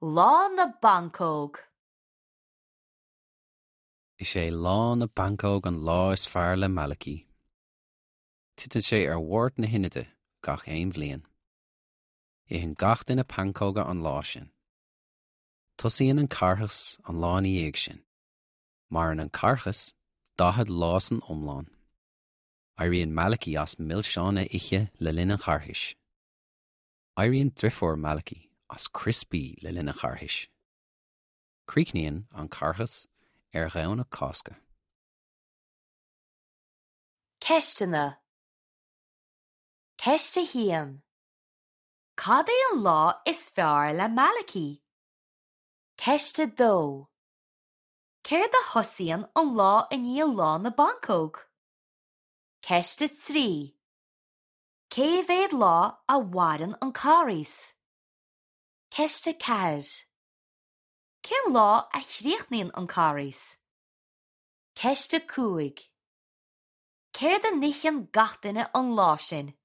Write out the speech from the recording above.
Lá na bPancóg. Is é Lá na bPancóg an lá is fearr le Malachy. Titeann sé ar Mháirt na hInide gach aon bhliain. Itheann gach duine pancóga an lá sin. Tosaíonn an Carghas an lá ina dhiaidh sin. Maireann an Carghas 40 lá san iomlán. Éiríonn Malachy as milseáin a ithe le linn an Charghais. Éiríonn driofúr Malachy as criospaí le linn an Charghais. Críochnaíonn an Carghas ar Dhomhnach Cásca. Ceisteanna Ceist 1. Cad é an lá is fearr le Malachy? Ceist 2. Céard a thosaíonn an lá i ndiaidh Lá na bPancóg? Ceist 3. Cé mhéad lá a mhaireann an Carghas? Ceist 4. Cén lá a chríochnaíonn an Carghas? Ceist 5. Céard a n-itheann gach duine an lá sin?